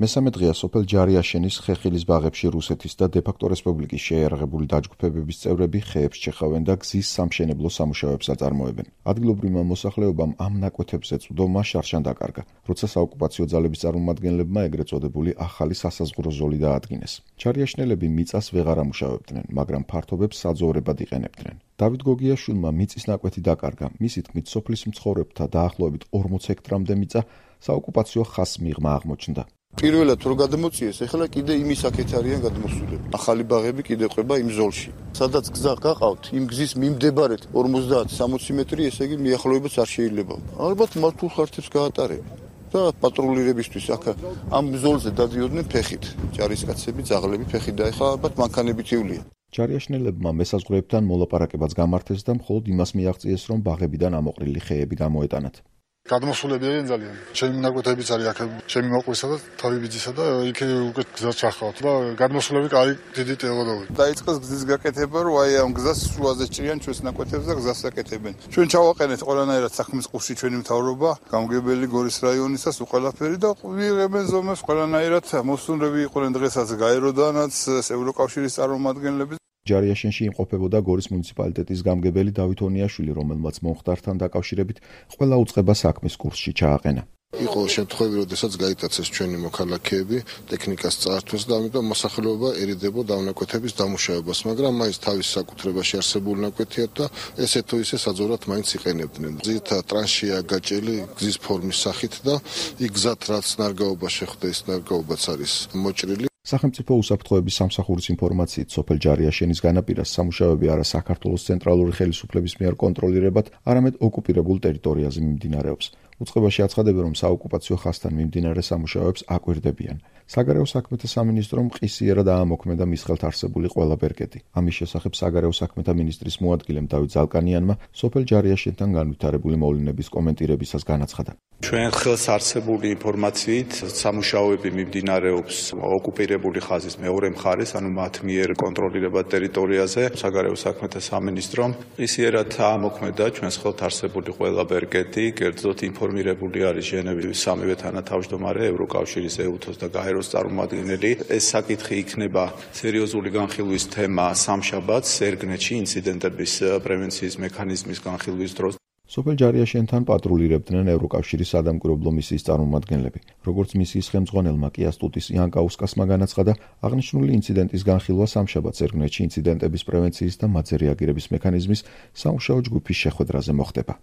მესამე დღეა სოფელ ჯარიაშენის ხეხილის ბაღებში რუსეთის და დე-ფაქტო რესპუბლიკის შეიარაღებული დაჯგუფებების წევრები ხეებს ჩეხავენ და გზის სამშენებლო სამუშაოებს აწარმოებენ. ადგილობრივმა მოსახლეობამ ამ ნაკვეთებზე წვდომა შარშან დაკარგა, როცა საოკუპაციო ძალების წარმომადგენლებმა ეგრეთ წოდებული ახალი სასაზღვრო ზოლი დაადგინეს. ჯარიაშნელები მიწას ვეღარ ამუშავებდნენ, მაგრამ ფართობებს საძოვრებად იყენებდნენ. დავით გოგიაშვილმა მიწის ნაკვეთი დაკარგა, მისი თქმით სოფლის მცხოვრებთა დაახლოებით 40 ჰექტრამდე მიწა საოკუპაციო ხაზს მიღმა აღმოჩნდა. პირველად რო გადმოწიეს, ეხლა კიდე იმის აქეთ არიან გადმოსულები. ახალი ბაღები კიდე ყვება იმ ზოლში. სადაც გზა გაყავთ, იმ გზის მიმდებარედ 50-60 მეტრი, ესე იგი მიახლოებაც არ შეიძლება. ალბათ მართულ ხართებს გაატარებენ. და პატრულირებისთვის აქ ამ ზოლზე დადიოდნენ ფეხით. ჯარისკაცები, ძაღლები ფეხით და ეხლა ალბათ მანქანებით ივლიან. ჯარიაშნელებმა მესაზღვრეებთან მოლაპარაკებაც გამართეს და მხოლოდ იმას მიაღწიეს, რომ ბაღებიდან ამოყრილი ხეები გამოეტანათ. გადმოსულები არიან ძალიან. ჩემი ნაკვეთებიც არის აქ, ჩემი მოყვისა და თავი ბიძისა და იქ უკვე გზა ჩახავთ და გადმოსულები კარი დიდი ტელოდოვი. დაიწყეს გზის გაკეთება, რომ აი ამ გზას შუაზე ჭრიან ჩვენს ნაკვეთებს და გზას აკეთებენ. ჩვენ ჩავაყენეთ ყველანაირად საქმის ყურში ჩვენი მთავრობა, გამგებელი გორის რაიონისას უყალაფერი და ვიღებენ ზომებს ყველანაირად მოსუნრები იყვნენ დღესაც გაეროდანაც ევროკავშირის წარმომადგენლები. ჯარიაშენში იმყოფებოდა გორის მუნიციპალიტეტის გამგებელი დავით ონიაშვილი, რომელმაც მომხდართან დაკავშირებით ყველა უწყება საქმის კურსში ჩააყენა. იყო შემთხვევები, როდესაც გაიტაცეს ჩვენი მოქალაქეები ტექნიკას წაართვეს და ამიტომ მოსახლეობა ერიდებოდა ნაკვეთების დამუშავებას, მაგრამ მაინც თავის საკუთრებაში არსებული ნაკვეთია და ესე თუ ისე საძოვრად მაინც იყენებდნენ. ძირითადად ტრანშია გაჭრილი გზის ფორმის სახით და იქ გზად რაც ნარგაობა შეხვდა, ის ნარგაობაც არის მოჭრილი. სახელმწიფო უსაფრთხოების სამსახურის ინფორმაციით, სოფელ ჯარიაშენის განაპირას სამუშაოები არა საქართველოს ცენტრალური ხელისუფლების მიერ კონტროლირებად, არამედ ოკუპირებულ ტერიტორიაზე მიმდინარეობს. უწყებაში აცხადებენ, რომ საოკუპაციო ხაზთან მიმდინარე სამუშაოებს აკვირდებიან. საგარეო საქმეთა სამინისტრომ ყისიერად აამოქმედა მის ხელთ არსებული ყველა ბერკეტი. ამის შესახებ საგარეო საქმეთა მინისტრის მოადგილემ დავით ზალკანიანმა სოფელ ჯარიაშენთან განვითარებული მოვლენების კომენტირებისას განაცხადა. ჩვენ ხელს არსებული ინფორმაციით სამუშაოები მიმდინარეობს ოკუპირებული ხაზის მეორე მხარეს, ანუ მათ მიერ კონტროლირებად ტერიტორიაზე. საგარეო საქმეთა სამინისტრომ ყისიერად აამოქმედა ჩვენს ხელთ არსებული ყველა ბერკეტი, კერძოდ ინფორმირებული არის ჟენევის სამივე თანათავმჯდომარე, ევროკავშირის ეუთოს და გაეროს წარმომადგენელი. ეს საკითხი იქნება სერიოზული განხილვის თემა სამშაბათს ერგნეთში ინციდენტების პრევენციის მექანიზმის განხილვის დროს. სოფელ ჯარიაშენთან პატრულირებდნენ ევროკავშირის სადამკვირვებლო მისიის წარმომადგენლები. როგორც მისიის ხელმძღვანელმა კიასტუტის იანკაუსკასმა განაცხადა, აღნიშნული ინციდენტის განხილვა სამშაბათს ერგნეთში ინციდენტების პრევენციის და მათზე რეაგირების მექანიზმის სამუშაო ჯგუფის შეხვედრაზე მოხდება.